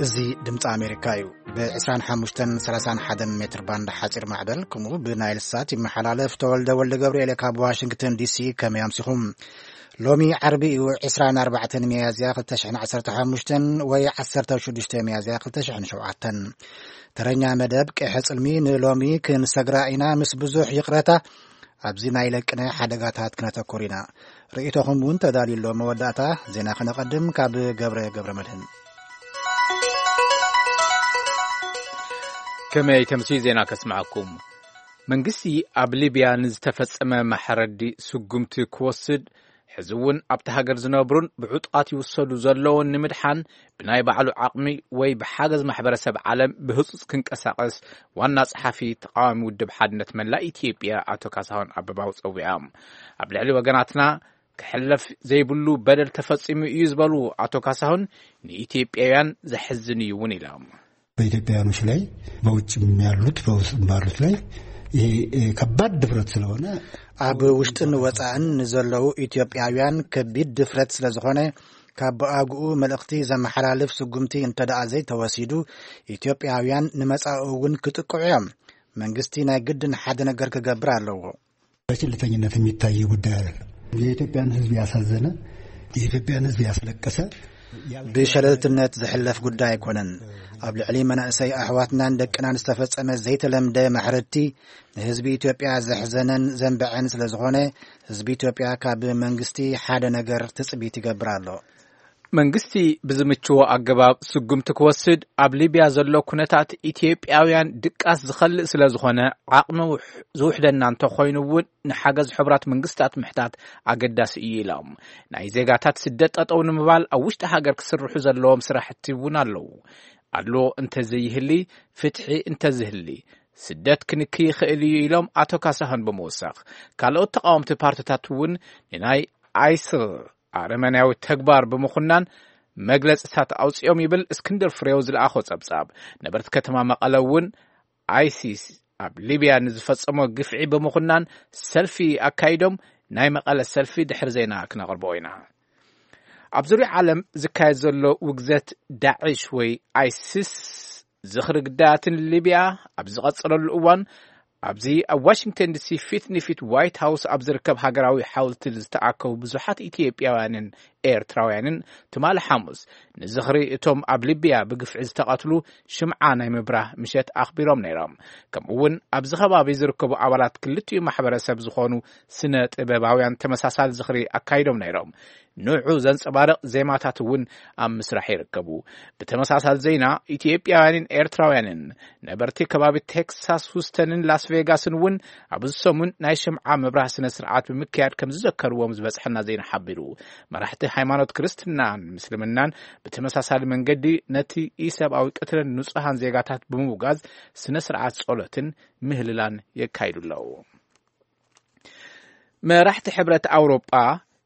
እዚ ድምፂ ኣሜሪካ እዩ። ብ ዕስራን ሓሙሽተን ሰላሳን ሓደን ሜትር ባንድ ሓፂር ማዕበል፣ ከምኡ ብናይል ሳት ይመሓላለፍ። ተወልደ ወልደ ገብርኤል ካብ ዋሽንግተን ዲሲ። ከመይ ኣምሲኹም? ሎሚ ዓርቢ እዩ፣ ዕስራን ኣርባዕተን ሚያዝያ ክልተ ሽሕን ዓሰርተ ሓሙሽተን ወይ ዓሰርተ ሽዱሽተ ሚያዝያ ክልተ ሽሕን ሸውዓተን። ተረኛ መደብ ቀይሐ ጽልሚ ንሎሚ ክንሰግራ ኢና። ምስ ብዙሕ ይቕረታ፣ ኣብዚ ናይ ለቅነ ሓደጋታት ክነተኩር ኢና። ርእይቶኹም እውን ተዳልዩ ኣሎ። መወዳእታ ዜና ክነቐድም ካብ ገብረ ገብረ መድህን። ከመይ ተምሲ ዜና ከስምዓኩም። መንግስቲ ኣብ ሊብያ ንዝተፈጸመ ማሕረዲ ስጉምቲ ክወስድ፣ ሕዚ እውን ኣብቲ ሃገር ዝነብሩን ብዕጡቓት ይውሰዱ ዘለውን ንምድሓን ብናይ ባዕሉ ዓቕሚ ወይ ብሓገዝ ማሕበረሰብ ዓለም ብህጹጽ ክንቀሳቐስ ዋና ጸሓፊ ተቃዋሚ ውድብ ሓድነት መላእ ኢትዮጵያ ኣቶ ካሳሁን ኣበባው ጸዊዖም። ኣብ ልዕሊ ወገናትና ክሕለፍ ዘይብሉ በደል ተፈጺሙ እዩ ዝበሉ ኣቶ ካሳሁን፣ ንኢትዮጵያውያን ዘሕዝን እዩ እውን ኢሎም። በኢትዮጵያውያኖች ላይ በውጭም ያሉት በውስጥም ባሉት ላይ ይሄ ከባድ ድፍረት ስለሆነ፣ ኣብ ውሽጥን ወጻእን ንዘለዉ ኢትዮጵያውያን ከቢድ ድፍረት ስለዝኾነ፣ ካብ ብኣግኡ መልእኽቲ ዘመሓላልፍ ስጉምቲ እንተ ደኣ ዘይተወሲዱ፣ ኢትዮጵያውያን ንመጻኢ እውን ክጥቅዑ እዮም። መንግስቲ ናይ ግድን ሓደ ነገር ክገብር ኣለዎ። በችልተኝነት የሚታይ ጉዳይ አይደለም። የኢትዮጵያን ሕዝብ ያሳዘነ፣ የኢትዮጵያን ሕዝብ ያስለቀሰ፣ ብሸለልትነት ዝሕለፍ ጉዳይ ኣይኮነን። ኣብ ልዕሊ መናእሰይ ኣሕዋትናን ደቅናን ዝተፈጸመ ዘይተለምደ ማሕረድቲ፣ ንህዝቢ ኢትዮጵያ ዘሕዘነን ዘንበዐን ስለ ዝኾነ፣ ህዝቢ ኢትዮጵያ ካብ መንግስቲ ሓደ ነገር ትጽቢት ይገብር ኣሎ። መንግስቲ ብዝምችዎ ኣገባብ ስጉምቲ ክወስድ፣ ኣብ ሊብያ ዘሎ ኩነታት ኢትዮጵያውያን ድቃስ ዝኸልእ ስለ ዝኾነ፣ ዓቕሚ ውሕ-፣ ዝውሕደና እንተኾይኑ እውን ንሓገዝ ሕቡራት መንግስታት ምሕታት ኣገዳሲ እዩ ኢሎም። ናይ ዜጋታት ስደት ጠጠው ንምባል ኣብ ውሽጢ ሃገር ክስርሑ ዘለዎም ስራሕቲ እውን ኣለዉ። ኣድልዎ እንተዘይህሊ፣ ፍትሒ እንተዝህሊ፣ ስደት ክንኪ ይኽእል እዩ ኢሎም ኣቶ ካሳሁን ብምውሳኽ፣ ካልኦት ተቃወምቲ ፓርቲታት እውን ንናይ ኣይስል ኣረመኔያዊ ተግባር ብምኹናን መግለጽታት ኣውጺኦም ይብል እስክንድር ፍሬው ዝለኣኾ ጸብጻብ። ነበርቲ ከተማ መቐለ እውን ኣይሲስ ኣብ ሊብያ ንዝፈጸሞ ግፍዒ ብምኹናን ሰልፊ ኣካይዶም። ናይ መቐለ ሰልፊ ድሕሪ ዜና ክነቕርቦ ኢና። ኣብ ዙርያ ዓለም ዝካየድ ዘሎ ውግዘት ዳዕሽ ወይ ኣይሲስ ዝኽሪ ግዳያትን ሊብያ ኣብ ዝቐጸለሉ እዋን፣ ኣብዚ ኣብ ዋሽንግተን ዲሲ ፊት ንፊት ዋይት ሃውስ ኣብ ዝርከብ ሃገራዊ ሓወልቲ ዝተኣከቡ ብዙሓት ኢትዮጵያውያንን ኤርትራውያንን ትማሊ ሓሙስ ንዝኽሪ እቶም ኣብ ሊብያ ብግፍዒ ዝተቐትሉ ሽምዓ ናይ ምብራህ ምሸት ኣኽቢሮም ነይሮም። ከምኡ እውን ኣብዚ ከባቢ ዝርከቡ ኣባላት ክልቲኡ ማሕበረሰብ ዝኾኑ ስነ ጥበባውያን ተመሳሳሊ ዝኽሪ ኣካይዶም ነይሮም። ንዑ ዘንጸባርቕ ዜማታት እውን ኣብ ምስራሕ ይርከቡ። ብተመሳሳሊ ዜና፣ ኢትዮጵያውያንን ኤርትራውያንን ነበርቲ ከባቢ ቴክሳስ ሁስተንን ላስ ቬጋስን እውን ኣብዚ ሰሙን ናይ ሽምዓ ምብራህ ስነ ስርዓት ብምክያድ ከም ዝዘከርዎም ዝበጽሐና ዜና ሓቢሩ። መራሕቲ ሃይማኖት ክርስትናን ምስልምናን ብተመሳሳሊ መንገዲ ነቲ ኢሰብኣዊ ቅትለን ንጹሃን ዜጋታት ብምውጋዝ ስነ ስርዓት ጸሎትን ምህልላን የካይዱ ኣለዉ። መራሕቲ ሕብረት ኣውሮጳ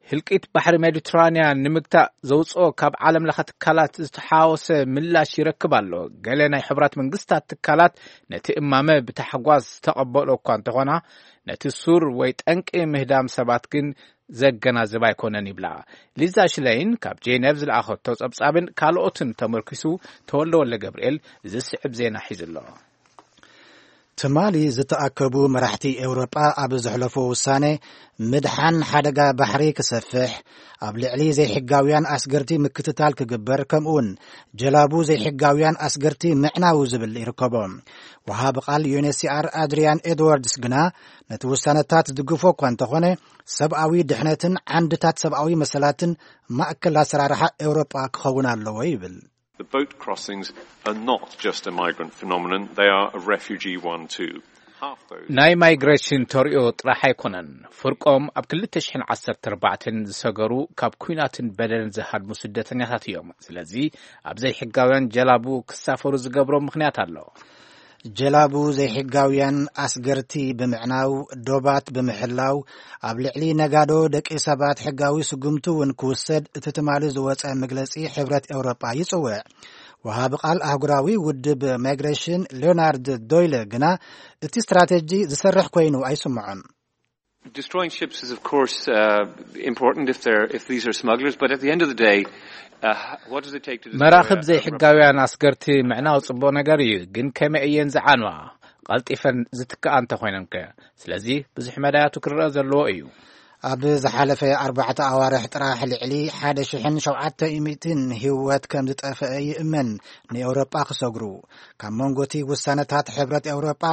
ህልቂት ባሕሪ ሜዲትራንያን ንምግታእ ዘውፅኦ ካብ ዓለም ለኸ ትካላት ዝተሓወሰ ምላሽ ይረክብ ኣሎ። ገለ ናይ ሕቡራት መንግስታት ትካላት ነቲ እማመ ብታሕጓስ ዝተቐበሎ እኳ እንተኾና፣ ነቲ ሱር ወይ ጠንቂ ምህዳም ሰባት ግን ዘገናዝብ ኣይኮነን ይብላ። ሊዛ ሽለይን ካብ ጄኔቭ ዝለኣኸቶ ጸብጻብን ካልኦትን ተመርኪሱ ተወልደ ወልደ ገብርኤል ዝስዕብ ዜና ሒዙ ኣሎ። ትማሊ ዝተኣከቡ መራሕቲ ኤውሮጳ ኣብ ዘሕለፎ ውሳነ፣ ምድሓን ሓደጋ ባሕሪ ክሰፍሕ፣ ኣብ ልዕሊ ዘይሕጋውያን ኣስገርቲ ምክትታል ክግበር፣ ከምኡውን ጀላቡ ዘይሕጋውያን ኣስገርቲ ምዕናው ዝብል ይርከቦ። ወሃቢ ቃል ዩኤንኤችሲኣር ኣድሪያን ኤድዋርድስ ግና፣ ነቲ ውሳነታት ዝድግፎ እኳ እንተኾነ፣ ሰብኣዊ ድሕነትን ዓንድታት ሰብኣዊ መሰላትን ማእከል ኣሰራርሓ ኤውሮጳ ክኸውን ኣለዎ ይብል። The boat crossings are not just a migrant phenomenon, they are a refugee one too. Half those ናይ ማይግሬሽን ተርእዮ ጥራሕ ኣይኮነን። ፍርቆም ኣብ ክልተ ሽሕን ዓሰርተ ኣርባዕተን ዝሰገሩ ካብ ኲናትን በደልን ዝሃድሙ ስደተኛታት እዮም። ስለዚ ኣብ ዘይሕጋውያን ጀላቡ ክሳፈሩ ዝገብሮ ምኽንያት ኣሎ። ጀላቡ ዘይሕጋውያን ኣስገርቲ ብምዕናው፣ ዶባት ብምሕላው፣ ኣብ ልዕሊ ነጋዶ ደቂ ሰባት ሕጋዊ ስጉምቲ እውን ክውሰድ እቲ ትማሊ ዝወጸ መግለጺ ሕብረት ኤውሮጳ ይጽውዕ። ወሃቢ ቃል ኣህጉራዊ ውድብ ማይግሬሽን ሊዮናርድ ዶይለ ግና እቲ ስትራቴጂ ዝሰርሕ ኮይኑ ኣይስምዖን። Destroying ships is, of course, uh, important if they're if these are smugglers. But at the end of the day, uh, what does it take to destroy መራኽብ a- a- ዘይሕጋውያን ኣስገርቲ ምዕናው ጽቡቕ ነገር እዩ፣ ግን ከመይ እየን ዝዓንዋ? ቀልጢፈን ዝትክኣ እንተኾይነን ከ? ስለዚ ብዙሕ መዳያቱ ክረአ ዘለዎ እዩ። ኣብ ዝሓለፈ ኣርባዕተ ኣዋርሕ ጥራሕ ልዕሊ ሓደ ሽሕን ሸውዓተ ሚእትን ህይወት ከም ዝጠፍአ ይእመን። ንኤውሮጳ ክሰግሩ ካብ መንጎቲ ውሳነታት ሕብረት ኤውሮጳ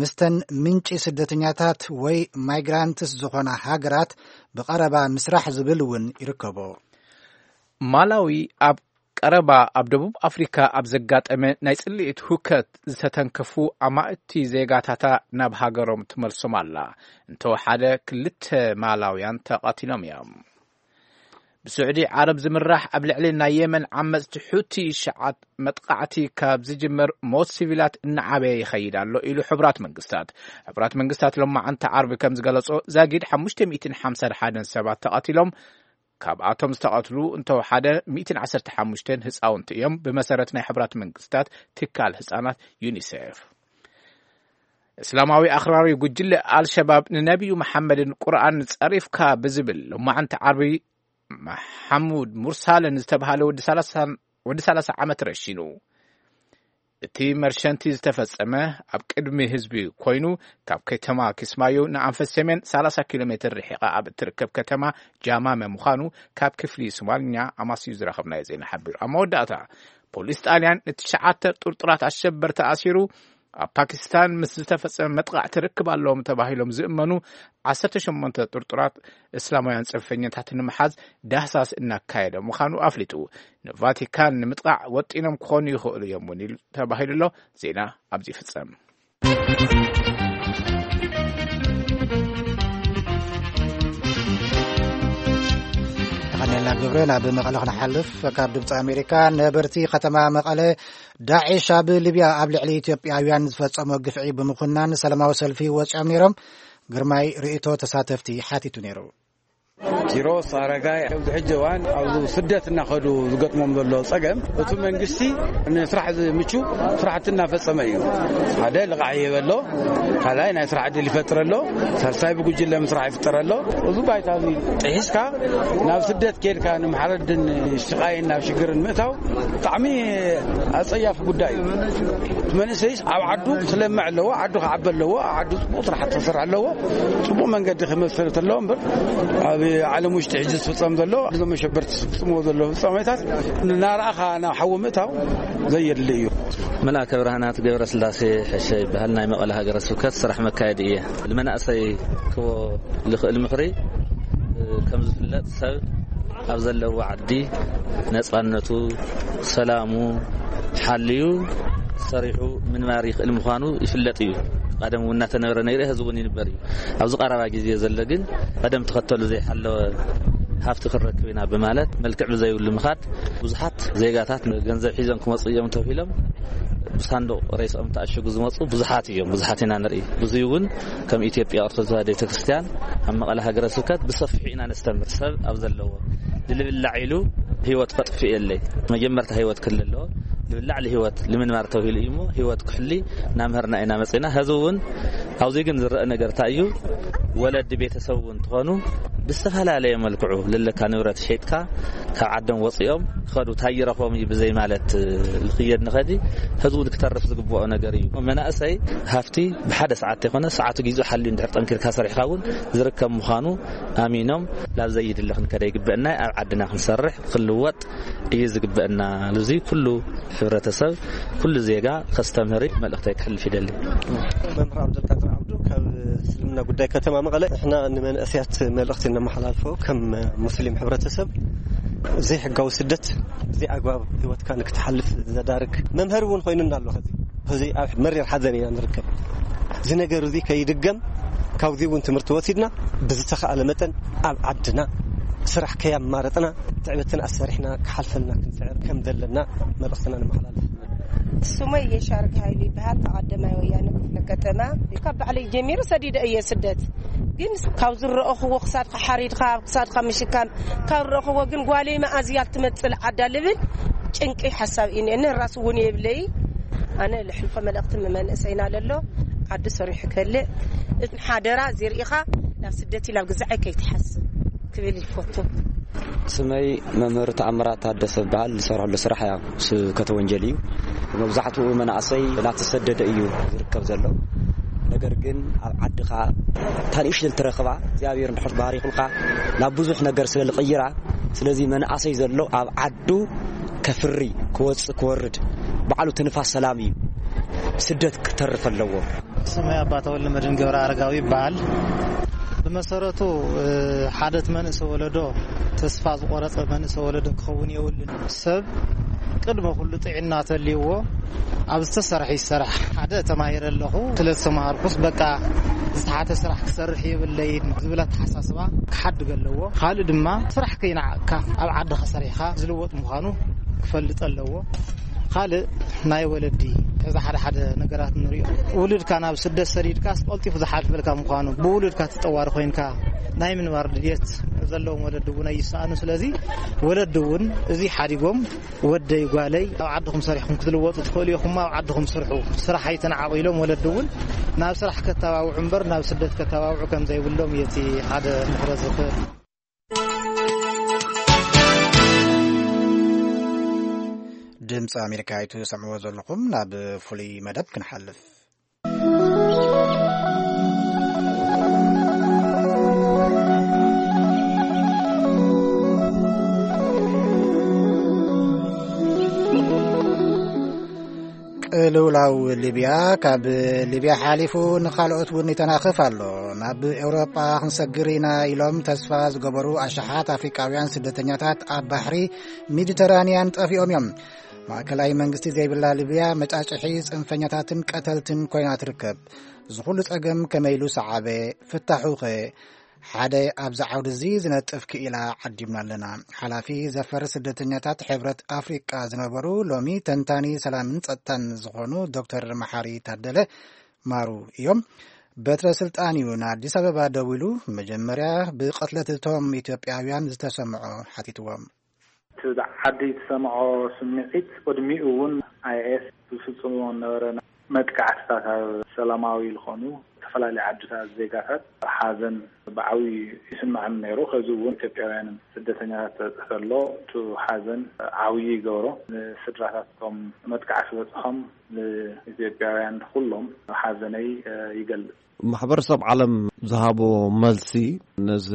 ምስተን ምንጪ ስደተኛታት ወይ ማይግራንትስ ዝኾና ሃገራት ብቐረባ ምስራሕ ዝብል እውን ይርከቦ። ማላዊ ኣብ ቀረባ ኣብ ደቡብ ኣፍሪካ ኣብ ዘጋጠመ ናይ ጽልኢት ሁከት ዝተተንከፉ ኣማእቲ ዜጋታታ ናብ ሃገሮም ትመልሶም ኣላ። እንተወሓደ ክልተ ማላውያን ተቐቲሎም እዮም። ብስዑዲ ዓረብ ዝምራሕ ኣብ ልዕሊ ናይ የመን ዓመፅቲ ሑቲ ሸዓት መጥቃዕቲ ካብ ዝጅመር ሞት ሲቪላት እናዓበየ ይኸይድ ኣሎ ኢሉ ሕቡራት መንግስታት። ሕቡራት መንግስታት ሎማዓንቲ ዓርቢ ከም ዝገለጾ ዛጊድ ሓሙሽተ ሚእትን ሓምሳን ሓደን ሰባት ተቐቲሎም፣ ካብኣቶም ዝተቐትሉ እንተወሓደ ሚእትን ዓሰርተ ሓሙሽተን ህፃውንቲ እዮም፣ ብመሰረት ናይ ሕቡራት መንግስታት ትካል ህፃናት ዩኒሴፍ። እስላማዊ ኣኽራሪ ጉጅለ ኣልሸባብ ንነቢዩ መሓመድን ቁርኣን ጸሪፍካ ብዝብል ሎማዓንቲ ዓርቢ መሓሙድ ሙርሳልን ዝተባሃለ ወዲ ሰላሳ ወዲ ሰላሳ ዓመት ረሺኑ። እቲ መርሸንቲ ዝተፈጸመ ኣብ ቅድሚ ህዝቢ ኮይኑ፣ ካብ ከተማ ኪስማዮ ንኣንፈት ሰሜን ሰላሳ ኪሎ ሜትር ርሒቓ ኣብ እትርከብ ከተማ ጃማመ ምዃኑ ካብ ክፍሊ ሶማልኛ ኣማስዩ ዝረኸብናዮ ዜና ሓቢሩ። ኣብ መወዳእታ ፖሊስ ጣልያን ንትሽዓተ ጥርጡራት ኣሸበርቲ ኣሲሩ። ኣብ ፓኪስታን ምስ ዝተፈጸመ መጥቓዕቲ ርክብ ኣለዎም ተባሂሎም ዝእመኑ ዓሰርተ ሸሞንተ ጥርጡራት እስላማውያን ጽንፈኛታት ንምሓዝ ዳህሳስ እናካየደ ምዃኑ ኣፍሊጡ። ንቫቲካን ንምጥቓዕ ወጢኖም ክኾኑ ይኽእሉ እዮም እውን ኢሉ ተባሂሉ ኣሎ። ዜና ኣብዚ ይፍጸም። ተኸነልና ግብረ ናብ መቐለ ክንሓልፍ። ካብ ድምፂ ኣሜሪካ፣ ነበርቲ ከተማ መቐለ ዳዕሽ ኣብ ሊብያ ኣብ ልዕሊ ኢትዮጵያውያን ዝፈጸሞ ግፍዒ ብምኹናን ሰላማዊ ሰልፊ ወፂኦም ነይሮም። ግርማይ ርእይቶ ተሳተፍቲ ሓቲቱ ነይሩ። ኪሮስ ኣረጋይ ኣብዚ ሕጂ እዋን ኣብ ስደት እናኸዱ ዝገጥሞም ዘሎ ጸገም፣ እቲ መንግስቲ ንስራሕ ዝምቹ ስራሕቲ እናፈጸመ እዩ። ሓደ ልቓሕ ይህበ ኣሎ፣ ካልኣይ ናይ ስራሕ ዕድል ይፈጥር ኣሎ፣ ሳልሳይ ብጉጅለ ምስራሕ ይፍጠር ኣሎ። እዚ ባይታ እዚ ጥሒስካ ናብ ስደት ኬድካ ንምሓረድን ሽቓይን ናብ ሽግርን ምእታው ብጣዕሚ ኣጸያፊ ጉዳይ እዩ። እቲ መንእሰይ ኣብ ዓዱ ክለምዕ ኣለዎ፣ ዓዱ ክዓቢ ኣለዎ፣ ኣብ ዓዱ ጽቡቕ ስራሕ ክሰርሕ ኣለዎ፣ ጽቡቕ መንገዲ ክመስርት ኣለዎ። እምበር ኣብ ዓለም ውሽጢ ሕጂ ዝፍጸም ዘሎ፣ እዞም መሸበርቲ ዝፍጽምዎ ዘለዉ ፍጻሜታት እናረኣኻ ናብ ሓዊ ምእታው ዘየድሊ እዩ። መልኣከ ብርሃናት ገብረ ስላሴ ሕሸ ይበሃል። ናይ መቐለ ሃገረ ስብከት ስራሕ መካየዲ እየ። ንመናእሰይ ክቦ ልኽእል ምኽሪ፣ ከም ዝፍለጥ ሰብ ኣብ ዘለዎ ዓዲ ነጻነቱ፣ ሰላሙ ሓልዩ ሰሪሑ ምንባር ይኽእል ምዃኑ ይፍለጥ እዩ። ቀደም እውን እናተነበረ ነይሩ፣ ሕዚ እውን ይንበር እዩ። ኣብዚ ቀረባ ግዜ ዘሎ ግን ቀደም ተኸተሉ ዘይሓለወ ሃፍቲ ክንረክብ ኢና ብማለት መልክዕ ብዘይብሉ ምኻድ ብዙሓት ዜጋታት ገንዘብ ሒዞም ክመፁ እዮም ተባሂሎም ብሳንዱቕ ሬስኦም ተኣሸጉ ዝመፁ ብዙሓት እዮም፣ ብዙሓት ኢና ንርኢ። ብዙይ እውን ከም ኢትዮጵያ ኦርቶዶክስ ተዋህዶ ቤተክርስትያን ኣብ መቐለ ሃገረ ስብከት ብሰፊሑ ኢና ነስተምር። ሰብ ኣብ ዘለዎ ንልብላዕ ኢሉ ህይወት ከጥፍእ የለይ። መጀመርታ ህይወት ክህሉ ኣለዎ። ልብላዕ ልህይወት ልምንባር ተባሂሉ እዩ እሞ ህይወት ክሕሊ እናምሀርና ኢና መፂና። ሕዚ እውን ኣብዚ ግን ዝረአ ነገር እንታይ እዩ? ወለዲ ቤተሰብ እውን ትኾኑ ብዝተፈላለየ መልክዑ ለለካ ንብረት ሸይጥካ ካብ ዓዶም ወፂኦም ክኸዱ ታይ ይረኽቦም እዩ ብዘይ ማለት ልኽየድ ንኸዲ ሕዚ እውን ክተርፍ ዝግብኦ ነገር እዩ። መናእሰይ ሃፍቲ ብሓደ ሰዓት ተይኮነ ሰዓቱ ጊዜኡ ሓልዩ እንድሕር ጠንኪርካ ሰሪሕካ እውን ዝርከብ ምዃኑ ኣሚኖም ላብ ዘይድለ ክንከደ ይግበአና፣ ኣብ ዓድና ክንሰርሕ ክንልወጥ እዩ ዝግበአና። ልዚ ኩሉ ሕብረተሰብ ኩሉ ዜጋ ከስተምህር መልእኽተይ ክሕልፍ ይደሊ። መምህር ዓብደልቃድር ዓብዱ ካብ እስልምና ጉዳይ ከተማ መቐለ፣ ንሕና ንመንእሰያት መልእኽቲ እነመሓላልፎ ከም ሙስሊም ሕብረተሰብ ዘይሕጋዊ ስደት ብዘይ ኣግባብ ህይወትካ ንክትሓልፍ ዘዳርግ መምሀሪ እውን ኮይኑና ኣሎ። ከዚ ሕዚ ኣብ መሪር ሓዘን ኢና ንርከብ። እዚ ነገር እዚ ከይድገም ካብዚ እውን ትምህርቲ ወሲድና ብዝተኻእለ መጠን ኣብ ዓድና ስራሕ ከያማረጥና ትዕበትን ኣሰሪሕና ክሓልፈልና ክንፅዕር ከም ዘለና መልእኽትና ንመሓላልፍ። ስመይ የሻርግ ሃይሉ ይበሃል። ተቐደማይ ወያነ ክፍለ ከተማ ካብ ባዕለይ ጀሚሩ ሰዲደ እየ ስደት። ግን ካብ ዝረእኽዎ ክሳድካ ሓሪድካ ኣብ ክሳድካ ምሽካም ካብ ረእኽዎ ግን ጓለይ መኣዝያ ትመፅእ ዓዳ ልብል ጭንቂ ሓሳብ እዩ እኒኤኒ። ራሱ እውን የብለይ። ኣነ ልሕልፎ መልእኽቲ ንመንእሰይና ለሎ ዓዲ ሰሪሑ ከልእ፣ እቲ ሓደራ ዘርኢኻ ናብ ስደት ናብ ግዛዐይ ከይትሓስብ ክብል ይፈቱ። ስመይ መምህር ተኣምራት ታደሰ በሃል። ዝሰርሐሉ ስራሕ ያ ስብከተ ወንጀል እዩ። መብዛሕትኡ መናእሰይ እናተሰደደ እዩ ዝርከብ ዘሎ። ነገር ግን ኣብ ዓድኻ እታ ንእሽተን ትረኽባ እግዚኣብሔር እንድሕር ባሪኹልካ ናብ ብዙሕ ነገር ስለ ዝቕይራ፣ ስለዚ መናእሰይ ዘሎ ኣብ ዓዱ ከፍሪ፣ ክወፅእ፣ ክወርድ፣ ባዕሉ ትንፋስ ሰላም እዩ። ስደት ክተርፍ ኣለዎ። ስመይ ኣባ ተወልደ መድህን ገብረ ኣረጋዊ ይበሃል። ብመሰረቱ ሓደ መንእሰ ወለዶ ተስፋ ዝቆረፀ መንእሰ ወለዶ ክኸውን የብሉን። ሰብ ቅድሚ ኩሉ ጥዕና ተልይዎ ኣብ ዝተሰርሐ ይሰራሕ። ሓደ ተማሂረ ኣለኹ፣ ስለ ዝተማሃርኩስ በቃ ዝተሓተ ስራሕ ክሰርሕ የብለይን ዝብል ኣተሓሳስባ ክሓድግ ኣለዎ። ካልእ ድማ ስራሕ ከይነዓቕካ ኣብ ዓድኻ ሰሪሕካ ዝልወጥ ምዃኑ ክፈልጥ ኣለዎ። ካልእ ናይ ወለዲ፣ እዚ ሓደ ሓደ ነገራት ንሪኦ። ውሉድካ ናብ ስደት ሰዲድካስ ቀልጢፉ ዝሓልፈልካ ምዃኑ፣ ብውሉድካ ትጠዋሪ ኮይንካ ናይ ምንባር ድልየት ዘለዎም ወለዲ እውን ኣይሰኣኑ። ስለዚ ወለዲ እውን እዚ ሓዲጎም፣ ወደይ ጓለይ ኣብ ዓድኹም ሰሪሕኩም ክትልወጡ ትኽእሉ ኢኹም፣ ኣብ ዓድኹም ስርሑ፣ ስራሕ ኣይተነዓቑ ኢሎም ወለዲ እውን ናብ ስራሕ ከተባብዑ እምበር ናብ ስደት ከተባብዑ ከም ዘይብሎም እዩ እቲ ሓደ ምኽረ ዝኽእል። ድምፂ ኣሜሪካ እዩ ትሰምዕዎ ዘለኹም። ናብ ፍሉይ መደብ ክንሓልፍ። ቅልውላው ሊብያ ካብ ሊብያ ሓሊፉ ንኻልኦት እውን ይተናኽፍ ኣሎ። ናብ ኤውሮጳ ክንሰግር ኢና ኢሎም ተስፋ ዝገበሩ ኣሽሓት ኣፍሪቃውያን ስደተኛታት ኣብ ባሕሪ ሜዲተራንያን ጠፊኦም እዮም። ማእከላይ መንግስቲ ዘይብላ ሊብያ መጫጭሒ ጽንፈኛታትን ቀተልትን ኮይና ትርከብ። እዚ ኩሉ ጸገም ከመይ ኢሉ ሰዓበ? ፍታሑኸ? ሓደ ኣብዚ ዓውዲ እዚ ዝነጥፍ ክኢላ ዓዲምና ኣለና። ሓላፊ ዘፈር ስደተኛታት ሕብረት ኣፍሪቃ ዝነበሩ ሎሚ ተንታኒ ሰላምን ጸጥታን ዝኾኑ ዶክተር መሓሪ ታደለ ማሩ እዮም። በትረ ስልጣን እዩ ንኣዲስ ኣበባ ደዊሉ። መጀመርያ ብቐትለት እቶም ኢትዮጵያውያን ዝተሰምዖ ሓቲትዎም። እቲ ዓዲ ዝሰምዖ ስምዒት ቅድሚኡ እውን ኣይኤስ ዝፍጽምዎ ነበረ መጥቃዕትታት ኣብ ሰላማዊ ዝኾኑ ዝተፈላለዩ ዓድታት ዜጋታት ሓዘን ብዓብዩ ይስምዐኒ ነይሩ። ከዚ እውን ኢትዮጵያውያንን ስደተኛታት ተበፅሕ ተሎ እቲ ሓዘን ዓብዩ ይገብሮ። ንስድራታት እቶም መጥቃዕቲ ዝበፅሖም ንኢትዮጵያውያን ኩሎም ሓዘነይ ይገልፅ። ማሕበረሰብ ዓለም ዝሃቦ መልሲ ነዚ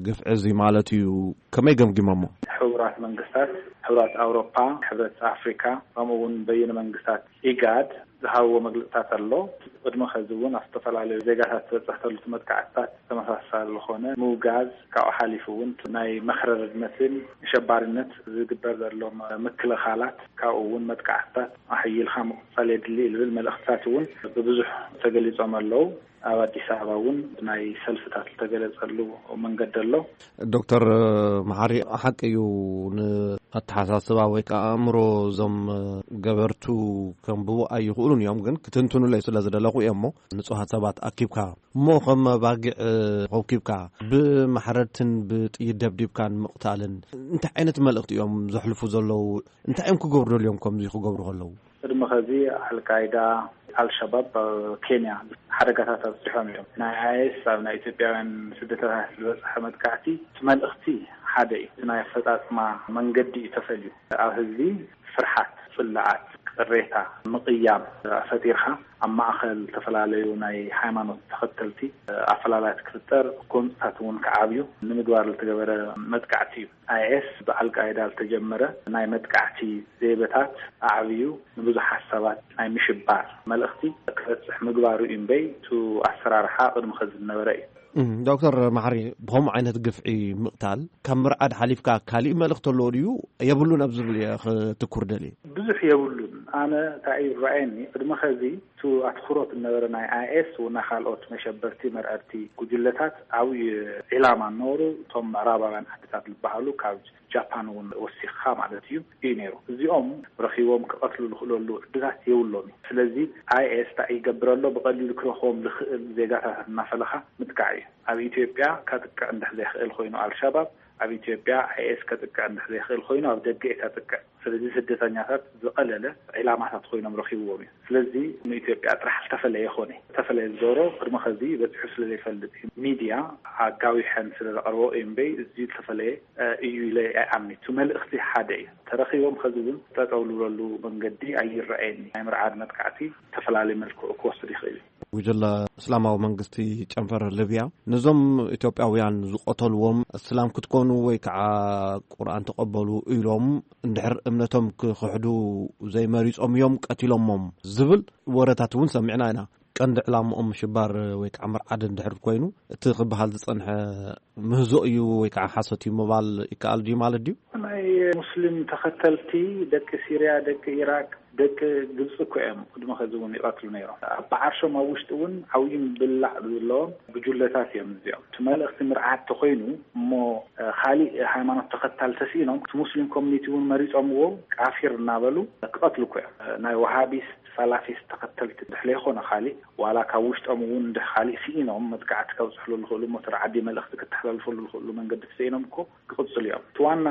ግፍዒ እዚ ማለት እዩ ከመይ ገምጊሞሞ? ሕቡራት መንግስታት፣ ሕብረት ኣውሮፓ፣ ሕብረት ኣፍሪካ ከምኡ እውን በይነ መንግስታት ኢጋድ ዝሃብዎ መግለፅታት ኣሎ። ቅድሚ ከዚ እውን ኣብ ዝተፈላለዩ ዜጋታት ዝበፅሕ ተሉ መጥቃዕትታት ተመሳሳሊ ዝኾነ ምውጋዝ ካብኡ ሓሊፉ እውን ናይ መኽረርነትን ኣሸባሪነት ዝግበር ዘሎ ምክልኻላት ካብኡ እውን መጥቃዕትታት ኣሕይልካ ምቕፃል የድሊ ዝብል መልእኽትታት እውን ብብዙሕ ተገሊፆም ኣለዉ። ኣብ ኣዲስ ኣበባ እውን ናይ ሰልፍታት ዝተገለፀሉ መንገዲ ኣሎ። ዶክተር መሓሪ ሓቂ እዩ ንኣተሓሳስባ ወይ ከዓ ኣእምሮ እዞም ገበርቱ ከንብቡ ኣይኽእሉን እዮም ግን ክትንትኑለይ ስለ ዝደለኹ እዮም እሞ ንፁሃት ሰባት ኣኪብካ እሞ ከም ባጊዕ ኮብኪብካ ብማሕረድትን ብጥይት ደብዲብካን ምቕታልን እንታይ ዓይነት መልእኽቲ እዮም ዘሕልፉ ዘለዉ እንታይ እዮም ክገብሩ ደልዮም ከምዚ ክገብሩ ከለዉ ቅድሚ ኸዚ ኣልቃይዳ ኣልሸባብ ኣብ ኬንያ ሓደጋታት ኣብፂሖም እዮም ናይ ኣይኤስ ኣብ ናይ ኢትዮጵያውያን ስደተታት ዝበፅሐ መጥቃዕቲ እቲ መልእኽቲ ሓደ እዩ እቲ ናይ ኣፈፃፅማ መንገዲ እዩ ተፈልዩ ኣብ ህዝቢ ፍርሓት ፅላኣት ቅሬታ ምቕያም ፈጢርካ ኣብ ማእኸል ዝተፈላለዩ ናይ ሃይማኖት ተኸተልቲ ኣፈላላት ክፍጠር ጎንፅታት እውን ክዓብዩ ንምግባር ዝተገበረ መጥቃዕቲ እዩ ኣይኤስ ብኣልቃይዳ ዝተጀመረ ናይ መጥቃዕቲ ዘይበታት ኣዕብዩ ንብዙሓት ሰባት ናይ ምሽባር መልእኽቲ ክበፅሕ ምግባሩ እዩ እምበይ እቲ ኣሰራርሓ ቅድሚ ኸዚ ዝነበረ እዩ። ዶክተር ማሕሪ ብኸምኡ ዓይነት ግፍዒ ምቕታል ካብ ምርዓድ ሓሊፍካ ካሊእ መልእኽቲ ኣለዎ ድዩ የብሉን ኣብ ዝብል እየ ክትኩር ደልየ። ብዙሕ የብሉን ኣነ እንታይ እዩ ዝረኣየኒ ቅድሚ ኸዚ እቲ ኣትኩሮት ዝነበረ ናይ ኣይኤስ እና ካልኦት መሸበርቲ መርዐድቲ ጉጅለታት ዓብዪ ዒላማ ነበሩ እቶም ምዕራባውያን ዓድታት ዝበሃሉ ካብ ጃፓን እውን ወሲኽኻ ማለት እዩ እዩ ነይሩ እዚኦም ረኺቦም ክቐትሉ ዝኽእለሉ ዕድላት የብሎም እዩ ስለዚ ኣይኤስ እንታይ ይገብር ኣሎ ብቐሊሉ ክረኽቦም ዝኽእል ዜጋታት እናፈለኻ ምጥቃዕ እዩ ኣብ ኢትዮጵያ ከጥቅዕ እንድሕር ዘይኽእል ኮይኑ ኣልሸባብ ኣብ ኢትዮጵያ ኣይኤስ ከጥቅዕ እንድሕር ዘይክእል ኮይኑ ኣብ ደገ እዩ ከጥቅዕ። ስለዚ ስደተኛታት ዝቐለለ ዒላማታት ኮይኖም ረኺብዎም እዩ። ስለዚ ንኢትዮጵያ ጥራሕ ዝተፈለየ ኮነ። ዝተፈለየ ዝገብሮ ቅድሚ ኸዚ በፂሑ ስለ ዘይፈልጥ እዩ። ሚድያ ኣጋዊሐን ስለ ዘቕርቦ እዩ እምበይ እዚ ዝተፈለየ እዩ ኢለ ኣይኣምን። እቲ መልእኽቲ ሓደ እዩ። ተረኺቦም ኸዚ እውን ጠጠው ልብለሉ መንገዲ ኣይረኣየኒ። ናይ ምርዓድ መጥቃዕቲ ዝተፈላለየ መልክዑ ክወስድ ይኽእል እዩ። ጉጅለ እስላማዊ መንግስቲ ጨንፈር ሊብያ ነዞም ኢትዮጵያውያን ዝቐተልዎም እስላም ክትኮኑ ወይ ከዓ ቁርኣን ተቐበሉ ኢሎም እንድሕር እምነቶም ክኽሕዱ ዘይመሪጾም እዮም ቀቲሎሞም ዝብል ወረታት እውን ሰሚዕና ኢና። ቀንዲ ዕላምኦም ሽባር ወይ ከዓ ምርዓድ እንድሕር ኮይኑ እቲ ክበሃል ዝጸንሐ ምህዞ እዩ ወይ ከዓ ሓሶት እዩ ምባል ይከኣል ድዩ ማለት ድዩ? ናይ ሙስሊም ተኸተልቲ ደቂ ሲርያ፣ ደቂ ኢራቅ፣ ደቂ ግብፂ እኮ እዮም። ቅድሚ ኸዚ እውን ይቐትሉ ነይሮም። ኣብ ዓርሾም ኣብ ውሽጢ እውን ዓብዩ ምብላዕ ዘለዎም ጉጅለታት እዮም እዚኦም። እቲ መልእኽቲ ምርዓድ ተኾይኑ እሞ እ፣ ካሊእ ሃይማኖት ተኸታል ተስኢኖም እቲ ሙስሊም ኮሚኒቲ እውን መሪፆምዎ ቃፊር እናበሉ ክቐትሉ እኮ እዮም። እ፣ ናይ ወሃቢስት ሳላፊስት ተኸተልቲ ድሕለ ይኾነ ካሊእ ዋላ ካብ ውሽጦም እውን እንድሕ ካሊእ ስኢኖም መጥቃዕቲ ከብፅሕሉ ዝኽእሉ ሞተር ዓዲ መልእኽቲ ክተሓላልፈሉ ዝኽእሉ መንገዲ ተስኢኖም እኮ ክቕፅሉ እዮም። እቲ ዋና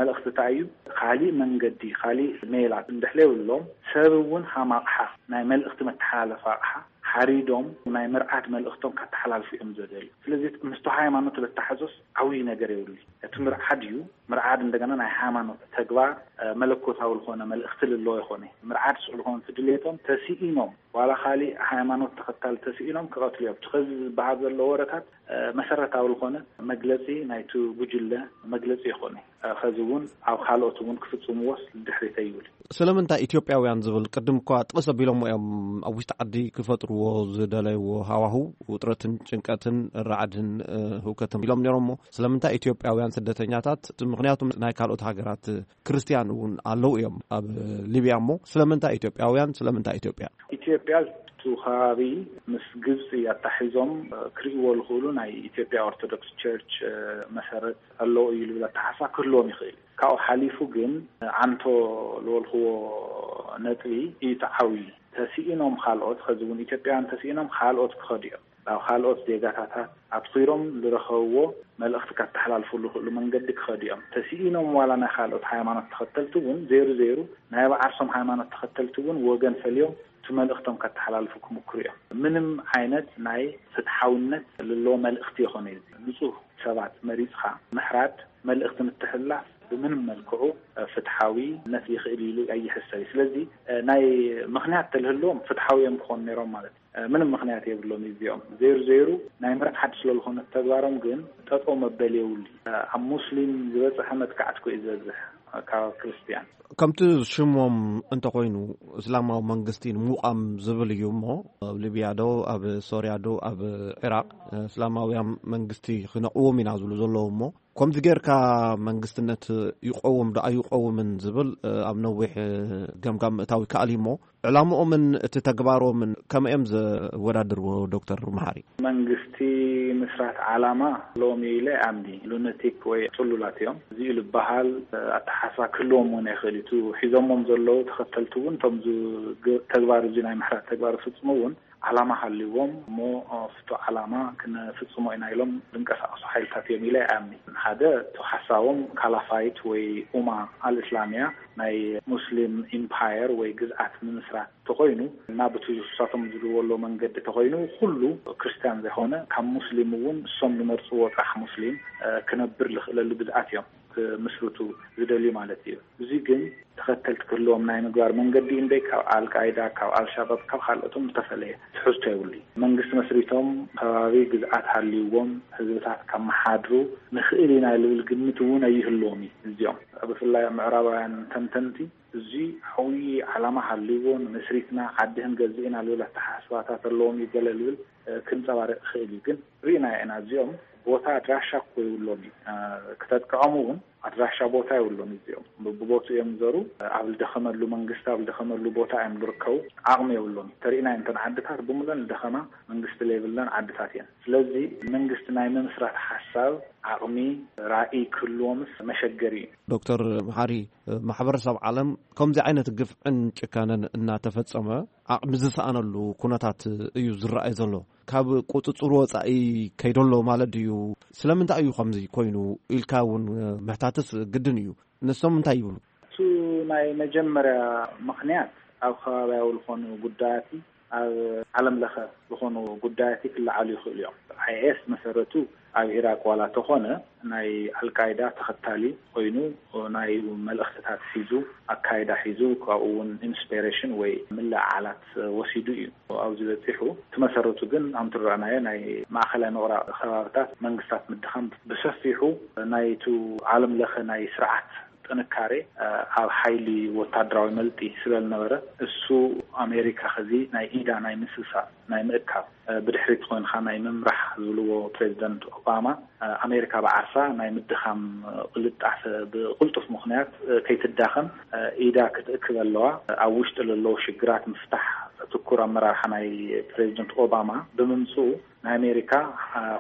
መልእኽቲ እንታይ እዩ? ካሊእ መንገዲ፣ ካሊእ ሜላት እንድሕለ የብሎም ሰብ እውን ሃም ኣቕሓ ናይ መልእኽቲ መተሓላለፊ ኣቕሓ ሓሪዶም ናይ ምርዓድ መልእኽቶም ከተሓላልፉ እዮም ዘደልዩ። ስለዚ ምስቲ ሃይማኖት ለተሓዞስ ዓብዪ ነገር የብሉ። እቲ ምርዓድ እዩ። ምርዓድ እንደገና ናይ ሃይማኖት ተግባር እ፣ መለኮታዊ ዝኾነ መልእኽቲ ልለዎ ይኾነ። ምርዓድ ስቕ ዝኾነ እቲ ድሌቶም ተስኢኖም ዋላ ካሊእ ሃይማኖት ተኸታል ተስኢኖም ክቐትሉ እዮም። እቲ ኸዚ ዝበሃል ዘሎ ወረታት እ፣ መሰረታዊ ዝኾነ መግለፂ ናይቲ ጉጅለ መግለፂ ይኾነ። እ፣ ኸዚ እውን ኣብ ካልኦት እውን ክፍፅምዎስ ድሕሪት ኣይብል። ስለምንታይ ኢትዮጵያውያን ዝብል ቅድም እኳ ጥቕስ ኣቢሎሞ እዮም ኣብ ውሽጢ ዓዲ ክፈጥርዎ ዝደለይዎ ሃዋህው ውጥረትን ጭንቀትን ራዕድን እ፣ ህውከትን ኢሎም ነይሮሞ። ስለምንታይ ኢትዮጵያውያን ስደተኛታት? ምኽንያቱም ናይ ካልኦት ሃገራት ክርስትያን እውን ኣለዉ እዮም ኣብ ሊብያ። እሞ ስለምንታይ ኢትዮጵያውያን? ስለምንታይ ኢትዮጵያ? ኢትዮጵያ እቲ ከባቢ ምስ ግብፂ ኣታሒዞም እ፣ ክርእይዎ ዝኽእሉ ናይ ኢትዮጵያ ኦርቶዶክስ ቸርች እ፣ መሰረት ኣለዎ እዩ ዝብል ኣተሓሳ ክህልዎም ይኽእል። ካብኡ ሓሊፉ ግን ዓንቶ ዝበልክዎ ነጥቢ እዩ እቲ ዓብዪ። ተስኢኖም ካልኦት፣ ኸዚ እውን ኢትዮጵያውያን ተስኢኖም ካልኦት ክኸዱ እዮም። ናብ ካልኦት ዜጋታታት ኣትኺሮም ዝረኸብዎ መልእኽቲ ከተሓላልፉሉ ዝኽእሉ መንገዲ ክኸዱ እዮም። ተስኢኖም ዋላ ናይ ካልኦት ሃይማኖት ተኸተልቲ እውን ዘይሩ ዘይሩ ናይ ባዓርሶም ሃይማኖት ተኸተልቲ እውን ወገን ፈልዮም እቲ መልእኽቶም ከተሓላልፉ ክምክሩ እዮም። ምንም ዓይነት ናይ ፍትሓውነት ዘለዎ መልእኽቲ ይኾነ እዩ። ንጹህ ሰባት መሪጽኻ ምሕራድ መልእኽቲ ምትሕልላፍ ብምንም መልክዑ ፍትሓዊነት ይኽእል ኢሉ ኣይሕሰብ እዩ። ስለዚ ናይ ምኽንያት ተልህልዎም ፍትሓዊ እዮም ክኾኑ ነይሮም ማለት እዩ። ምንም ምኽንያት የብሎም እዚኦም። ዘይሩ ዘይሩ ናይ ምርዓድ ስለ ዝኾነ ተግባሮም ግን ጠጠው መበል የብሉ። ኣብ ሙስሊም ዝበፅሐ መጥቃዕቲ እኮ እዩ ዝበዝሕ ካብ ክርስትያን። ከምቲ ሽሞም እንተኾይኑ እስላማዊ መንግስቲ ንምቋም ዝብል እዩ እሞ ኣብ ሊብያ ዶ ኣብ ሶርያ ዶ ኣብ ዒራቅ እስላማውያን መንግስቲ ክነቕዎም ኢና ዝብሉ ዘለዉ እሞ ከምዚ ጌርካ መንግስትነት ይቐውም ዶ ኣይቐውምን ዝብል ኣብ ነዊሕ ገምጋም ምእታው ይከኣል እዩ እሞ ዕላምኦምን እቲ ተግባሮምን ከመይ እዮም ዘወዳድርዎ ዶክተር መሓሪ? መንግስቲ ምስራት ዓላማ ሎሚ ኢለ ኣምኒ ሉነቲክ ወይ ጥሉላት እዮም። እዚ እዩ ዝበሃል ኣተሓሳስባ ክህልዎም እውን ይኽእል እዩ። እቲ ሒዞሞም ዘለዉ ተኸተልቲ እውን እቶም እዚ ግ- ተግባር እዚ ናይ ምሕራት ተግባር ዝፍፅሙ እውን ዓላማ ሃልዎም እሞ ፍቶ ዓላማ ክንፍፅሞ ኢና ኢሎም ዝንቀሳቐሱ ሓይልታት እዮም ኢለ ኣይኣምኒ። ሓደ እቲ ሓሳቦም ካላፋይት ወይ ኡማ ኣልእስላሚያ ናይ ሙስሊም ኢምፓየር ወይ ግዝኣት ምምስራት ተኾይኑ እና ብቲ ንሳቶም ዝድልዎ ኣለዉ መንገዲ ተኾይኑ ኩሉ ክርስትያን ዘይኮነ ካብ ሙስሊም እውን እሶም ዝመርፅዎ ጥራሕ ሙስሊም ክነብር ዝኽእለሉ ግዝኣት እዮም ክምስርቱ ዝደልዩ ማለት እዩ። እዚ ግን ተኸተልቲ ክህልዎም ናይ ምግባር መንገዲ እምበይ ካብ ኣልቃይዳ ካብ ኣልሻባብ ካብ ካልኦቶም ዝተፈለየ ትሕዝቶ የብሉ። መንግስቲ መስሪቶም ከባቢ ግዝኣት ሃልይዎም ህዝብታት ከመሓድሩ ንኽእል ኢና ልብል ግምት እውን ኣይህልዎም እዩ። እዚኦም ብፍላይ ኣብ ምዕራባውያን ተንተንቲ እዚ ዓብዪ ዓላማ ሃልይዎ ንመስሪትና ዓዲ ክንገዝእ ኢና ልብል ኣተሓሳስባታት ኣለዎም እዩ ገለ ልብል ክንፀባርቅ ይኽእል እዩ። ግን ርኢና ኢና እዚኦም ቦታ ኣድራሻ እኮ ይብሎም እዩ። ክተጥቅዖም እውን ኣድራሻ ቦታ የብሎም እዚኦም ብቦቱ እዮም ዘሩ ኣብ ልደኸመሉ መንግስቲ ኣብ ልደኸመሉ ቦታ እዮም ዝርከቡ። ዓቕሚ የብሎም ተርእና እንተን ዓድታት ብምለን ልደኸማ መንግስቲ ለይብለን ዓድታት እየን። ስለዚ መንግስቲ ናይ ምምስራት ሓሳብ ዓቕሚ ራእይ ክህልዎምስ መሸገሪ እዩ። ዶክተር መሓሪ፣ ማሕበረሰብ ዓለም ከምዚ ዓይነት ግፍዕን ጭካነን እናተፈጸመ ዓቕሚ ዝሰኣነሉ ኩነታት እዩ ዝረኣይ ዘሎ። ካብ ቁጽጽር ወጻኢ ከይደሎ ማለት ድዩ? ስለምንታይ እዩ ከምዚ ኮይኑ ኢልካ እውን ምሕታትስ ግድን እዩ። ንሶም እንታይ ይብሉ? እሱ ናይ መጀመርያ ምኽንያት ኣብ ከባቢያዊ ዝኾኑ ጉዳያት፣ ኣብ ዓለም ለኸ ዝኾኑ ጉዳያት ክለዓሉ ይኽእሉ እዮም። ኣይኤስ መሰረቱ ኣብ ኢራቅ ዋላ ተኾነ፣ ናይ ኣልቃይዳ ተኸታሊ ኮይኑ፣ ናይ መልእኽትታት ሒዙ፣ ኣካይዳ ሒዙ፣ ካብኡ እውን ኢንስፒሬሽን ወይ ምልዕዓላት ወሲዱ እዩ ኣብዚ በፂሑ። እቲ መሰረቱ ግን፣ ኣምትረአናዮ ናይ ማእኸላይ ምቕራብ ከባብታት መንግስታት ምድኻም፣ ብሰፊሑ ናይቱ ዓለም ለኸ ናይ ስርዓት ጥንካሬ ኣብ ሓይሊ ወታደራዊ መልጢ ስለ ዝነበረ፣ እሱ ኣሜሪካ ኸዚ ናይ ኢዳ ናይ ምስሳብ፣ ናይ ምእካብ፣ ብድሕሪት ኮይንካ ናይ ምምራሕ ዝብልዎ ፕሬዚደንት ኦባማ፣ ኣሜሪካ ብዓርሳ ናይ ምድኻም ቅልጣፈ፣ ብቕልጡፍ ምኽንያት ከይትዳኸም ኢዳ ክትእክብ ኣለዋ። ኣብ ውሽጢ ለለዎ ሽግራት ምፍታሕ ትኩር ኣመራርሓ ናይ ፕሬዚደንት ኦባማ ብምምፅኡ፣ ናይ ኣሜሪካ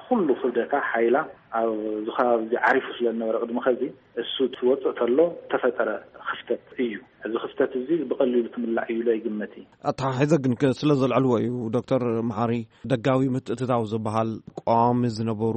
ኩሉ ክብደታ፣ ሓይላ ኣብ ዝኸባቢ እዚ ዓሪፉ ስለ ዝነበረ፣ ቅድሚ ኸዚ እሱ ትወፅእ ተሎ ተፈጠረ ክፍተት እዩ። እዚ ክፍተት እዚ ብቐሊሉ ትምላእ እዩ ኢለ ይግመት እዩ። ኣተሓሒዘ ግን ከ ስለ ዘልዕልዎ እዩ። ዶክተር መሓሪ፣ ደጋዊ ምትእትታው ዝበሃል ቀዋሚ ዝነበሩ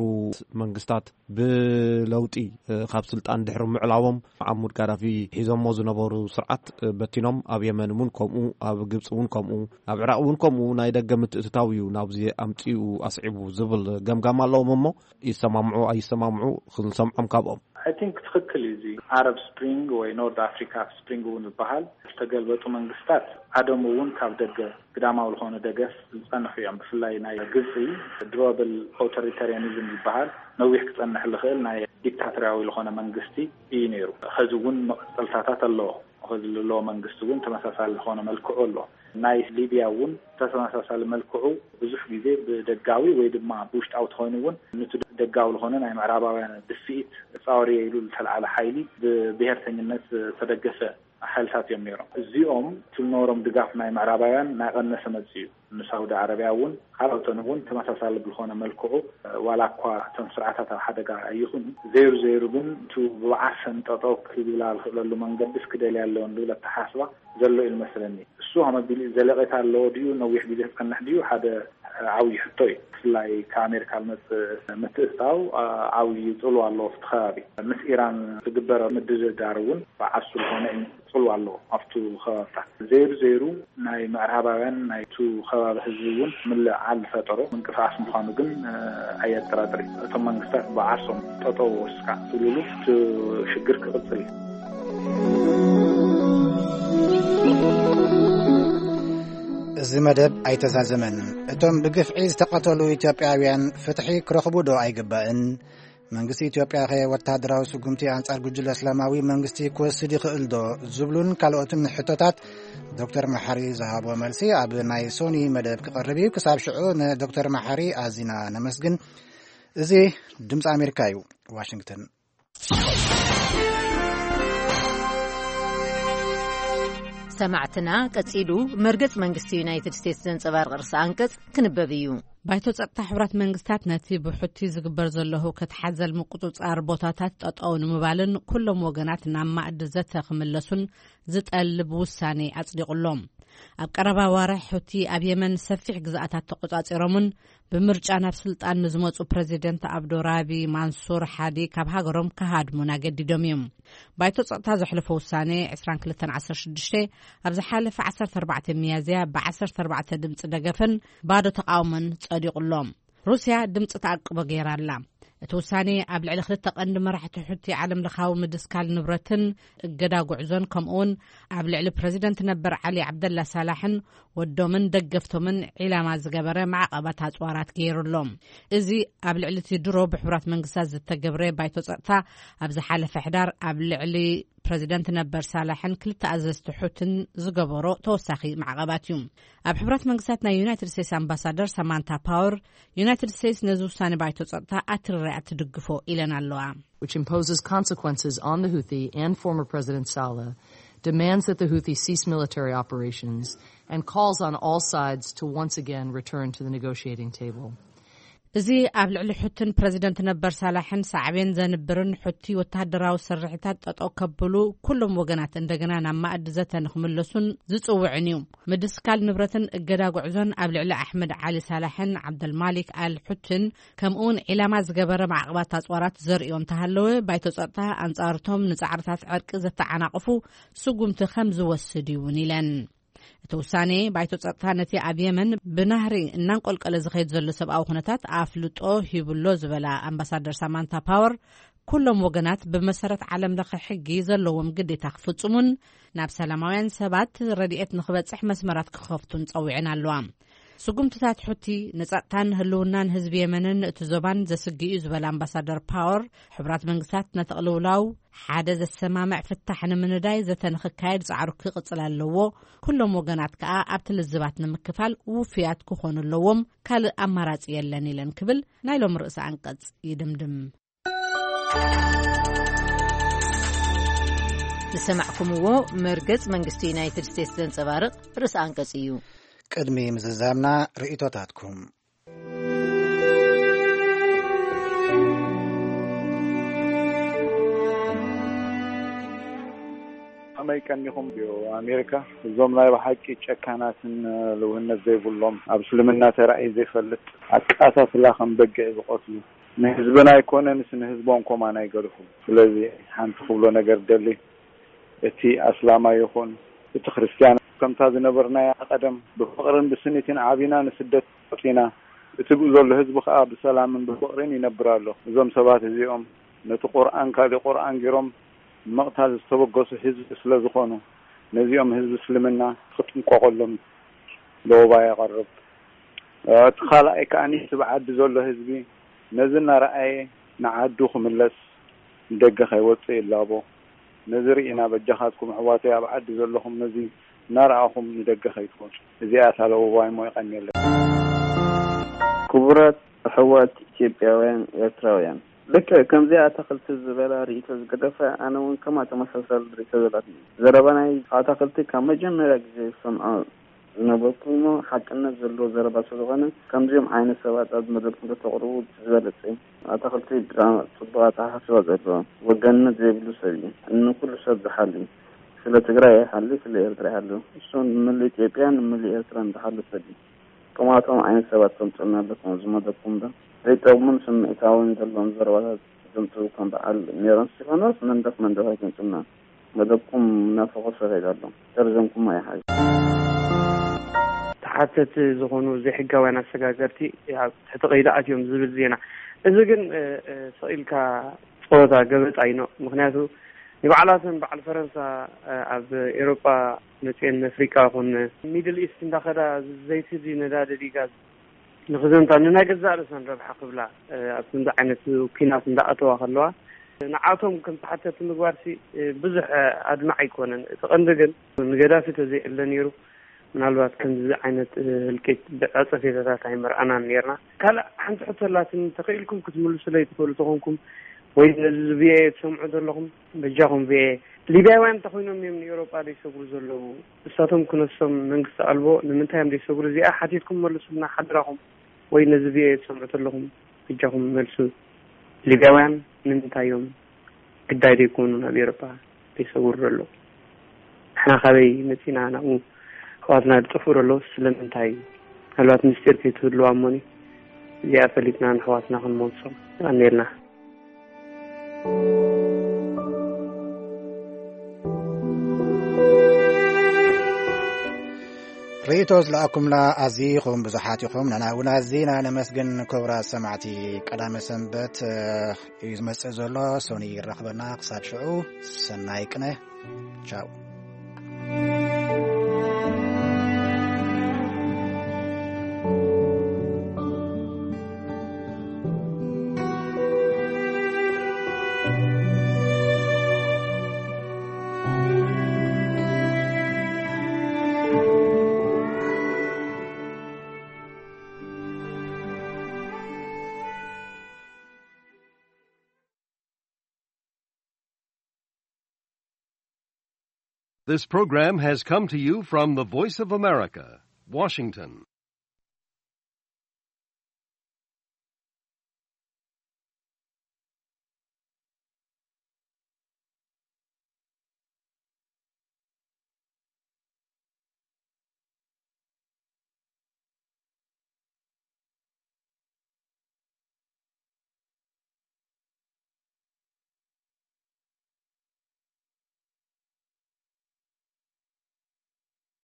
መንግስታት ብለውጢ፣ እ፣ ካብ ስልጣን ድሕሪ ምዕላዎም፣ መዓሙድ ጋዳፊ ሒዞሞ ዝነበሩ ስርዓት፣ እ፣ በቲኖም፣ ኣብ የመን እውን ከምኡ፣ ኣብ ግብፂ እውን ከምኡ፣ ኣብ ዕራቕ እውን ከምኡ፣ ናይ ደገ ምትእትታው እዩ ናብዚ ኣምፂኡ ኣስዒቡ ዝብል ገምጋም ኣለዎም። እሞ ይሰማምዑ ኣይሰማምዑ ክንሰምዖም ካብኦም። I think ትኽክል እዩ። እዚ ኣረብ ስፕሪንግ ወይ ኖርት ኣፍሪካ ስፕሪንግ እውን ዝበሃል ዝተገልበጡ መንግስታት ኣደም እውን ካብ ደገ ግዳማዊ ዝኾነ ደገፍ ዝጸንሑ እዮም። ብፍላይ ናይ ግብፂ ድሮብል ኦቶሪታሪያኒዝም ዝበሃል ነዊሕ ክጸንሕ ዝኽእል ናይ ዲክታቶርያዊ ዝኾነ መንግስቲ እዩ ነይሩ። ኸዚ እውን መቐጸልታታት ኣለዎ። ኸዚ ዘለዎ መንግስቲ እውን ተመሳሳሊ ዝኾነ መልክዑ ኣሎ። ናይ ሊብያ እውን ተመሳሳሊ መልክዑ ብዙሕ ግዜ ብደጋዊ ወይ ድማ ብውሽጣዊ ተኾይኑ እውን፣ ንቲ ደጋዊ ዝኾነ ናይ ምዕራባውያን ድፍኢት ፃወር ኢሉ ዝተልዓለ ሓይሊ ብብሄርተኝነት ዝተደገፈ ሓይልታት እዮም ነይሮም። እዚኦም እቲ ዝነበሮም ድጋፍ ናይ ምዕራባውያን እናቐነሰ መፅኡ እዩ። ንሳውዲ ዓረብያ እውን ካልኦትን እውን ተመሳሳሊ ብዝኾነ መልክዑ፣ ዋላ እኳ እቶም ስርዓታት ኣብ ሓደጋ ኣይኹኑ፣ ዘይሩ ዘይሩ ግን እቲ ብዓርሰን ጠጠው ክብላ ዝኽእለሉ መንገዲ እስክደልያ ኣለዎን ዝብል ኣተሓስባ ዘሎ እዩ ዝመስለኒ። እሱ ከመ ቢሉ ዘለቄታ ኣለዎ ድዩ፣ ነዊሕ ግዜ ክጸንሕ ድዩ፣ ሓደ ዓብዪ ሕቶ እዩ። ብፍላይ ካብ ኣሜሪካ ዝመጽእ ምትእትታው ዓብዪ ጽልዋ ኣለዎ ኣብቲ ከባቢ። ምስ ኢራን ዝግበር ምድድዳር እውን ብዓርሱ ዝኾነ እዩ ጽልዋ ኣለዎ ኣብቱ ከባብታት። ዘይሩ ዘይሩ ናይ ምዕራባውያን ናይቱ ከባቢ ህዝቢ እውን ምልዕዓል ዝፈጠሮ ምንቅስቃስ ምዃኑ ግን ኣየጠራጥር። እቶም መንግስታት ብዓርሶም ጠጠው ወስካ ትብልሉ እቲ ሽግር ክቕጽል እዩ። እዚ መደብ ኣይተዛዘመን። እቶም ብግፍዒ ዝተቐተሉ ኢትዮጵያውያን ፍትሒ ክረኽቡ ዶ ኣይግባእን? መንግስቲ ኢትዮጵያ ከ ወታደራዊ ስጉምቲ ኣንጻር ጉጅለ እስላማዊ መንግስቲ ክወስድ ይኽእል ዶ? ዝብሉን ካልኦትን ሕቶታት ዶክተር መሓሪ ዝሃቦ መልሲ ኣብ ናይ ሶኒ መደብ ክቐርብ እዩ። ክሳብ ሽዑ ንዶክተር መሓሪ ኣዚና ነመስግን። እዚ ድምፂ ኣሜሪካ እዩ፣ ዋሽንግተን። ሰማዕትና፣ ቀጺሉ መርገጽ መንግስቲ ዩናይትድ ስቴትስ ዘንጸባርቕ ርእሰ ኣንቀጽ ክንበብ እዩ። ባይቶ ጸጥታ ሕቡራት መንግስታት ነቲ ብሑቲ ዝግበር ዘሎ ህውከት ሓዘል ምቁጽጻር ቦታታት ጠጠው ንምባልን ኩሎም ወገናት ናብ ማእዲ ዘተ ክምለሱን ዝጠልብ ውሳኔ ኣጽዲቑ ኣሎ። ኣብ ቀረባ ዋርሕ ሑቲ ኣብ የመን ሰፊሕ ግዝኣታት ተቆጻጺሮምን ብምርጫ ናብ ስልጣን ንዝመጹ ፕረዚደንት ኣብዶ ራቢ ማንሱር ሓዲ ካብ ሃገሮም ክሃድሙን ኣገዲዶም እዮም። ባይቶ ጸጥታ ዘሕለፎ ውሳኔ ዕስራን ክልተን ዓሰርተ ሽዱሽተ ኣብ ዝሓለፈ ዓሰርተ ኣርባዕተ ሚያዝያ ብ ዓሰርተ ኣርባዕተ ድምጺ ደገፍን ባዶ ተቓውሞን ጸዲቑ ኣሎ። ሩስያ ድምጺ ተኣቅቦ ገይራ ኣላ። እቲ ውሳኔ ኣብ ልዕሊ ክልተ ቀንዲ መራሕቲ ሑቲ ዓለም ለኻዊ ምድስካል ንብረትን እገዳ ጉዕዞን፣ ከምኡውን ኣብ ልዕሊ ፕረዚደንት ነበር ዓሊ ዓብደላ ሳላሕን ወዶምን ደገፍቶምን ዒላማ ዝገበረ ማዕቐባት ኣጽዋራት ገይሩ ኣሎ። እዚ ኣብ ልዕሊ እቲ ድሮ ብሕቡራት መንግስታት ዝተገብረ ባይቶ ጸጥታ ኣብ ዝሓለፈ ሕዳር ኣብ ልዕሊ ፕረዚደንት ነበር ሳላሕን ክልተ ኣዘዝቲ ሑትን ዝገበሮ ተወሳኺ ማዕቐባት እዩ። ኣብ ሕቡራት መንግስታት ናይ ዩናይትድ ስቴትስ ኣምባሳደር ሳማንታ ፓወር፣ ዩናይትድ ስቴትስ ነዚ ውሳኔ ባይቶ ጸጥታ ኣትሪራ እያ ትድግፎ ኢለን ኣለዋ። Which imposes consequences on the Houthi and former President Saleh, demands that the Houthi cease military operations, and calls on all sides to once again return to the negotiating table. እዚ ኣብ ልዕሊ ሑትን ፕረዚደንት ነበር ሳላሕን ሳዕቤን ዘንብርን፣ ሑቲ ወተሃደራዊ ስርሒታት ጠጠው ከብሉ፣ ኩሎም ወገናት እንደገና ናብ ማእዲ ዘተ ንክምለሱን ዝጽውዕን እዩ። ምድስካል ንብረትን እገዳ ጉዕዞን ኣብ ልዕሊ ኣሕመድ ዓሊ ሳላሕን ዓብደልማሊክ ኣል ሑትን፣ ከምኡውን ዒላማ ዝገበረ ማዕቕባት ኣጽዋራት ዘርእዮ እንተሃለወ፣ ባይቶ ጸጥታ ኣንጻርቶም ንጻዕርታት ዕርቂ ዘተዓናቕፉ ስጉምቲ ከም ዝወስድ እዩ እውን ኢለን። እቲ ውሳኔ ባይቶ ጸጥታ ነቲ ኣብ የመን ብናህሪ እናንቆልቀለ ዝኸይድ ዘሎ ሰብኣዊ ኩነታት ኣፍልጦ ሂቡሎ ዝበላ ኣምባሳደር ሳማንታ ፓወር፣ ኩሎም ወገናት ብመሰረት ዓለም ለኸ ሕጊ ዘለዎም ግዴታ ክፍጽሙን ናብ ሰላማውያን ሰባት ረድኤት ንክበጽሕ መስመራት ክኸፍቱን ጸዊዐን ኣለዋ። ስጉምትታት ሑቲ ንጸጥታን ህልውናን ህዝቢ የመንን እቲ ዞባን ዘስግእ እዩ ዝበለ ኣምባሳደር ፓወር፣ ሕቡራት መንግስታት ነቲ ቅልውላው ሓደ ዘሰማምዕ ፍታሕ ንምንዳይ ዘተ ንክካየድ ጻዕሩ ክቕጽል ኣለዎ። ኩሎም ወገናት ከኣ ኣብቲ ልዝባት ንምክፋል ውፍያት ክኾኑ ኣለዎም። ካልእ ኣማራጺ የለን ኢለን ክብል ናይ ሎም ርእሰ ኣንቀጽ ይድምድም። ዝሰማዕኩምዎ መርገጽ መንግስቲ ዩናይትድ ስቴትስ ዘንጸባርቕ ርእሰ ኣንቀጽ እዩ። ቅድሚ ምዝዛምና ርእይቶታትኩም። ከመይ ቀኒኹም? ቪኦኤ ኣሜሪካ፣ እዞም ናይ ብሓቂ ጨካናትን ልውህነት ዘይብሎም፣ ኣብ እስልምና ተራእዩ ዘይፈልጥ ኣቃታትላ ከም በጊዕ ዝቐትሉ፣ ንህዝብና ኣይኮነንስ ንህዝቦም ኮማን ኣይገድፉ። ስለዚ ሓንቲ ክብሎ ነገር ደሊ፣ እቲ ኣስላማይ ይኹን እቲ ክርስትያን፣ ከምታ ዝነበርናያ ቀደም ብፍቕርን ብስኒትን ዓቢና ንስደት ወጺና፣ እቲ ብኡ ዘሎ ህዝቢ ከኣ ብሰላምን ብፍቕርን ይነብር ኣሎ። እዞም ሰባት እዚኦም ነቲ ቁርኣን ካሊእ ቁርኣን ገይሮም ንምቕታል ዝተበገሱ ህዝቢ ስለ ዝኾኑ፣ ነዚኦም ህዝቢ እስልምና ክጥንቀቐሎም ለወባ የቐርብ። እቲ ካልኣይ ከኣ እቲ ብዓዲ ዘሎ ህዝቢ ነዚ እናረኣየ ንዓዱ ክምለስ ንደገ ከይወጽእ ይላቦ። ነዚ ርኢና በጃኻትኩም ኣሕዋተይ ኣብ ዓዲ ዘለኹም ነዚ እናረኣኹም ንደገ ከይትወጹ። እዚኣ እታ ለወባይ እሞ የቐንየለይ። ክቡራት ኣሕዋት ኢትዮጵያውያን ኤርትራውያን፣ ልክዕ ከምዚኣ ኣታኽልቲ ዝበላ ርእይቶ ዝገደፈ፣ ኣነ እውን ከማ ተመሳሳሊ ርእይቶ ዘላትኒ። ዘረባ ናይ ኣታኽልቲ ካብ መጀመርያ ግዜ ዝሰምዖ ዝነበርኩ እሞ ሓቅነት ዘለዎ ዘረባ ስለዝኾነ፣ ከምዚኦም ዓይነት ሰባት ኣብ መድረኽ እንተተቕርቡ ዝበለጸ እዩ። ኣታኽልቲ ብጣዕሚ ጽቡቕ ኣተሓሳስባ ዘለዎ፣ ወገንነት ዘይብሉ ሰብ እዩ። ንኩሉ ሰብ ዝሓሊ፣ ስለ ትግራይ ይሓሊ፣ ስለ ኤርትራ ይሓሊ። እሱ ንምሉእ ኢትዮጵያን ንምሉእ ኤርትራን ዝሓሊ ሰብ እዩ። ከምኣቶም ዓይነት ሰባት ተምጽኡልና ኣለኩም ኣብዚ መደብኩም ዶ? ዘይጠቕሙን ስምዒታውን ዘለዎም ዘረባታት ዘምጽኡ ከም በዓል ሜሮን እስጢፋኖስ መንደፍ መንደፍ ኣይተምጽኡልና። መደብኩም እናፈኾሰ ይኸይድ ኣሎ። ደርዘንኩም ኣይሓዝ። ተሓተቲ ዝኾኑ ዘይሕጋውያን ኣሰጋገርቲ ኣብ ትሕቲ ቀይዲ ኣትዮም ዝብል ዜና። እዚ ግን፣ እ፣ እ፣ ስቕ ኢልካ ጸወታ ገበጣ እዩ። ምኽንያቱ ንባዕላተን በዓል ፈረንሳ፣ እ፣ ኣብ ኤውሮጳ መጽኤን ኣፍሪቃ ይኹን ሚድል ኢስት እንዳኸዳ ዘይትዲ ነዳዲ ዲጋዝ ንኽዘምታ ንናይ ገዛእ ርእሰን ረብሓ ክብላ፣ እ፣ ኣብ ከምዚ ዓይነት ኲናት እንዳኣተዋ ከለዋ ንዓቶም ከም ተሓተቲ ምግባርሲ፣ እ፣ ብዙሕ፣ እ፣ ኣድማዒ ኣይኮነን። እቲ ቀንዲ ግን ንገዳፊ ተዘይዕለ ነይሩ ምናልባት ከምዚ ዓይነት፣ እ፣ ህልቂት ብዕጸፌታታት ኣይመርኣናን ነይርና። ካልእ ሓንቲ ሕቶ ኣላትኒ፣ ተኽኢልኩም ክትምልሱለይ ትኽእሉ ተኾንኩም ወይ ነዚ ቪኦኤ ትሰምዑ ዘለኹም በጃኹም ቪኦኤ፣ ሊብያውያን እንተኾይኖም እዮም ንኤውሮጳ ዘይሰግሩ ዘለዉ? እሳቶም ክነሶም መንግስቲ ኣልቦ ንምንታይ እዮም ዘይሰግሩ? እዚኣ ሓቲትኩም መልሱልና ሓድራኹም። ወይ ነዚ ቪኦኤ ትሰምዑ ዘለኹም በጃኹም መልሱ። ሊብያውያን ንምንታይ እዮም ግዳይ ዘይኮኑ ናብ ኤውሮጳ ዘይሰግሩ ዘለዉ? ንሕና ካበይ መጺና ናብኡ ኣሕዋትና ዝጠፍኡ ዘለዉ ስለምንታይ እዩ? ምናልባት ምስጢር ከይትህልዋ እሞኒ እዚኣ ፈሊጥና ንኣሕዋትና ክንመልሶም። የቐንየልና። ርእይቶ ዝለኣኩምና ኣዚኹም ብዙሓት ኢኹም። ንሕና እውን ኣዚና ነመስግን። ክቡራት ሰማዕቲ፣ ቀዳመ ሰንበት፣ እ፣ እዩ ዝመጽእ ዘሎ። ሶኒ ይራኽበና። ክሳብ ሽዑ ሰናይ ቅነ። ቻው። This program has come to you from the Voice of America, Washington.